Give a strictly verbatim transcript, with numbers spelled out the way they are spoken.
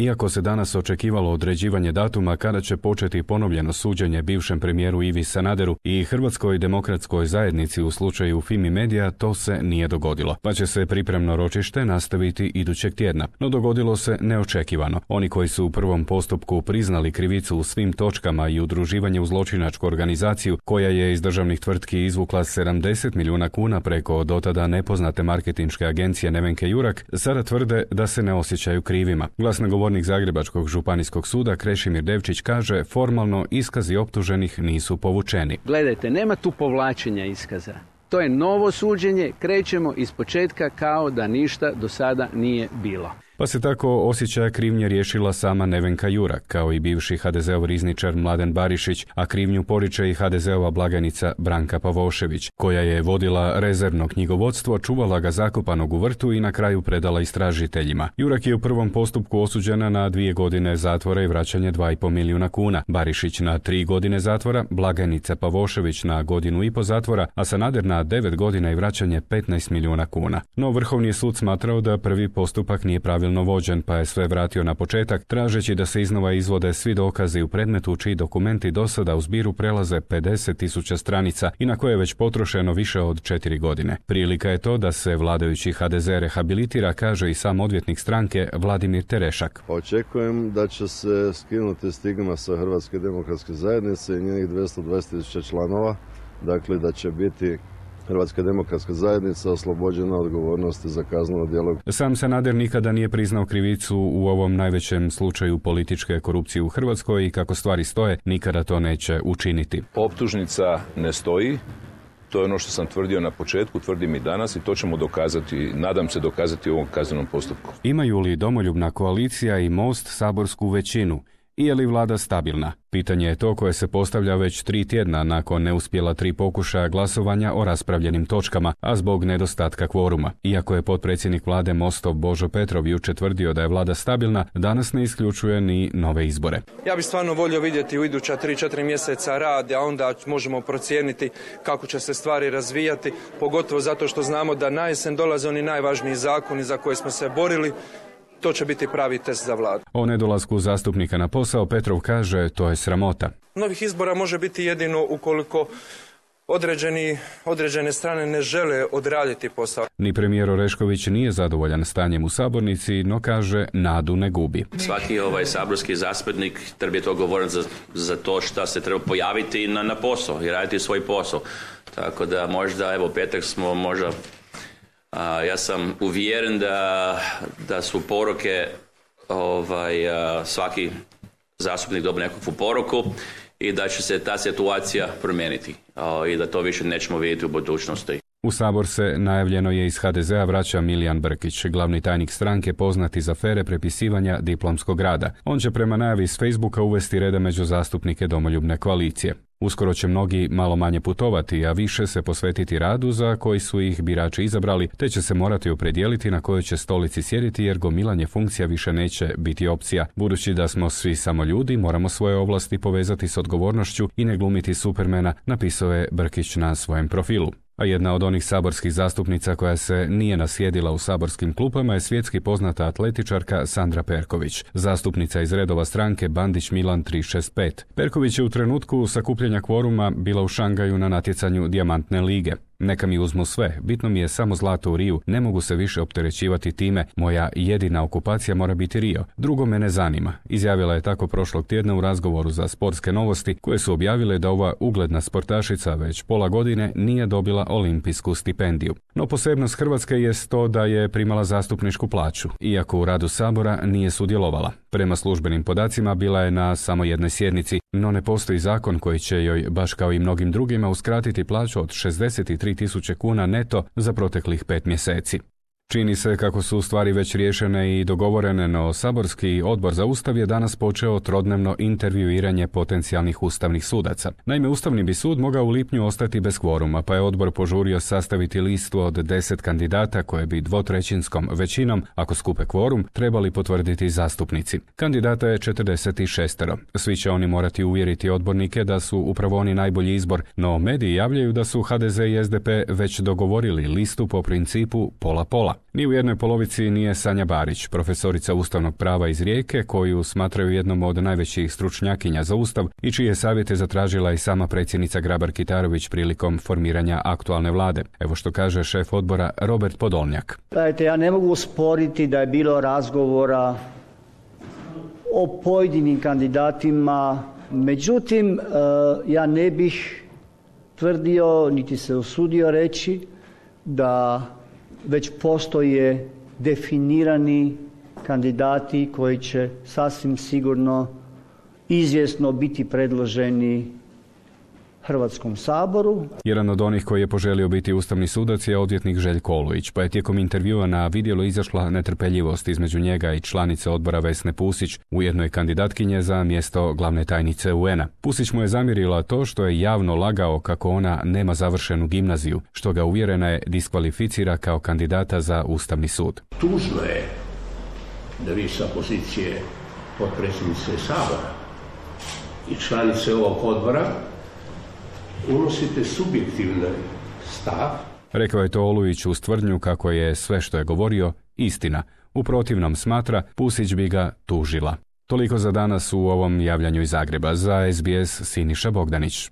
Iako se danas očekivalo određivanje datuma kada će početi ponovljeno suđenje bivšem premijeru Ivi Sanaderu i Hrvatskoj demokratskoj zajednici u slučaju Fimi Media, to se nije dogodilo, pa će se pripremno ročište nastaviti idućeg tjedna. No dogodilo se neočekivano. Oni koji su u prvom postupku priznali krivicu u svim točkama i udruživanje u zločinačku organizaciju koja je iz državnih tvrtki izvukla sedamdeset milijuna kuna preko dotada nepoznate marketinške agencije Nevenke Jurak, sada tvrde da se ne osjećaju krivima. Glasnogovornik Zagrebačkog županijskog suda Krešimir Devčić kaže formalno iskazi optuženih nisu povučeni. Gledajte, nema tu povlačenja iskaza. To je novo suđenje, krećemo iz početka kao da ništa do sada nije bilo. Pa se tako osjećaja krivnje riješila sama Nevenka Jurak, kao i bivši ha de zeov rizničar Mladen Barišić, a krivnju poriče i ha de zeova blagajnica Branka Pavošević, koja je vodila rezervno knjigovodstvo, čuvala ga zakopanog u vrtu i na kraju predala istražiteljima. Jurak je u prvom postupku osuđena na dvije godine zatvora i vraćanje dva i pol milijuna kuna, Barišić na tri godine zatvora, blagajnica Pavošević na godinu i po zatvora, a Sanader na devet godina i vraćanje petnaest milijuna kuna. No Vrhovni je sud smatrao da prvi postupak nije pravilno vođen, pa je sve vratio na početak, tražeći da se iznova izvode svi dokazi u predmetu čiji dokumenti do sada u zbiru prelaze pedeset tisuća stranica i na koje je već potrošeno više od četiri godine. Prilika je to da se vladajući ha de ze rehabilitira, kaže i sam odvjetnik stranke Vladimir Terešak. Očekujem da će se skinuti stigma sa Hrvatske demokratske zajednice i njenih dvjesto dvadeset tisuća članova, dakle da će biti Hrvatska demokratska zajednica oslobođena odgovornosti za kazneno djelo. Sam Sanader nikada nije priznao krivicu u ovom najvećem slučaju političke korupcije u Hrvatskoj i kako stvari stoje, nikada to neće učiniti. Optužnica ne stoji. To je ono što sam tvrdio na početku, tvrdim i danas i to ćemo dokazati, nadam se dokazati u ovom kaznenom postupku. Imaju li Domoljubna koalicija i Most saborsku većinu? I je li vlada stabilna? Pitanje je to koje se postavlja već tri tjedna nakon neuspjela tri pokušaja glasovanja o raspravljenim točkama, a zbog nedostatka kvoruma. Iako je potpredsjednik vlade Mostov Božo Petrov jučer tvrdio da je vlada stabilna, danas ne isključuje ni nove izbore. Ja bih stvarno volio vidjeti u iduća tri četiri mjeseca rad, a onda možemo procijeniti kako će se stvari razvijati, pogotovo zato što znamo da na jesen dolaze oni najvažniji zakoni za koje smo se borili. To će biti pravi test za vladu. O nedolasku zastupnika na posao Petrov kaže to je sramota. Novih izbora može biti jedino ukoliko određeni, određene strane ne žele odraditi posao. Ni premijer Orešković nije zadovoljan stanjem u sabornici, no kaže nadu ne gubi. Svaki ovaj saborski zastupnik treba je to govoriti za, za to što se treba pojaviti na, na posao i raditi svoj posao. Tako da možda, evo petak smo možda Uh, ja sam uvjeren da, da su poruke, ovaj, uh, svaki zastupnik dobije nekakvu poruku i da će se ta situacija promijeniti uh, i da to više nećemo vidjeti u budućnosti. U Sabor se, najavljeno je, iz ha de zea vraća Milijan Brkić, glavni tajnik stranke poznat iz afere prepisivanja diplomskog rada. On će prema najavi s Facebooka uvesti reda među zastupnike Domoljubne koalicije. Uskoro će mnogi malo manje putovati, a više se posvetiti radu za koji su ih birači izabrali, te će se morati opredijeliti na kojoj će stolici sjediti jer gomilanje funkcija više neće biti opcija. Budući da smo svi samo ljudi, moramo svoje ovlasti povezati s odgovornošću i ne glumiti Supermana, napisao je Brkić na svojem profilu. A jedna od onih saborskih zastupnica koja se nije nasjedila u saborskim klupama je svjetski poznata atletičarka Sandra Perković, zastupnica iz redova stranke Bandić Milan tri šest pet. Perković je u trenutku sakupljanja kvoruma bila u Šangaju na natjecanju Dijamantne lige. Neka mi uzmu sve, bitno mi je samo zlato u Riju, ne mogu se više opterećivati time, moja jedina okupacija mora biti Rio. Drugo me ne zanima, izjavila je tako prošlog tjedna u razgovoru za sportske novosti, koje su objavile da ova ugledna sportašica već pola godine nije dobila olimpijsku stipendiju. No posebnost Hrvatske jest to da je primala zastupničku plaću, iako u radu Sabora nije sudjelovala. Prema službenim podacima bila je na samo jednoj sjednici, no ne postoji zakon koji će joj, baš kao i mnogim drugima, uskratiti plaću od šezdeset tri tisuće kuna neto za proteklih pet mjeseci. Čini se kako su stvari već riješene i dogovorene, no saborski odbor za Ustav je danas počeo trodnevno intervjuiranje potencijalnih ustavnih sudaca. Naime, Ustavni bi sud mogao u lipnju ostati bez kvoruma, pa je odbor požurio sastaviti listu od deset kandidata koje bi dvotrećinskom većinom, ako skupe kvorum, trebali potvrditi zastupnici. Kandidata je četrdeset šest. Svi će oni morati uvjeriti odbornike da su upravo oni najbolji izbor, no mediji javljaju da su ha de ze i es de pe već dogovorili listu po principu pola-pola. Ni u jednoj polovici nije Sanja Barić, profesorica ustavnog prava iz Rijeke, koju smatraju jednom od najvećih stručnjakinja za ustav i čije savjete zatražila i sama predsjednica Grabar-Kitarović prilikom formiranja aktualne vlade. Evo što kaže šef odbora Robert Podolnjak. Dajte, ja ne mogu sporiti da je bilo razgovora o pojedinim kandidatima, međutim, ja ne bih tvrdio, niti se usudio reći, da već postoje definirani kandidati koji će sasvim sigurno izvjesno biti predloženi Hrvatskom saboru. Jedan od onih koji je poželio biti ustavni sudac je odvjetnik Željko Olujić, pa je tijekom intervjua na vidjelo izašla netrpeljivost između njega i članice odbora Vesne Pusić, ujedno je kandidatkinje za mjesto glavne tajnice U N-a. Pusić mu je zamjerila to što je javno lagao kako ona nema završenu gimnaziju, što ga, uvjerena je, diskvalificira kao kandidata za Ustavni sud. Tužno je da vi sa pozicije potpredsjednice Sabora i članice ovog odbora unosite subjektivni stav. Rekao je to Olujić uz tvrdnju kako je sve što je govorio istina. U protivnom, smatra, Pusić bi ga tužila. Toliko za danas u ovom javljanju iz Zagreba. Za S B S Siniša Bogdanić.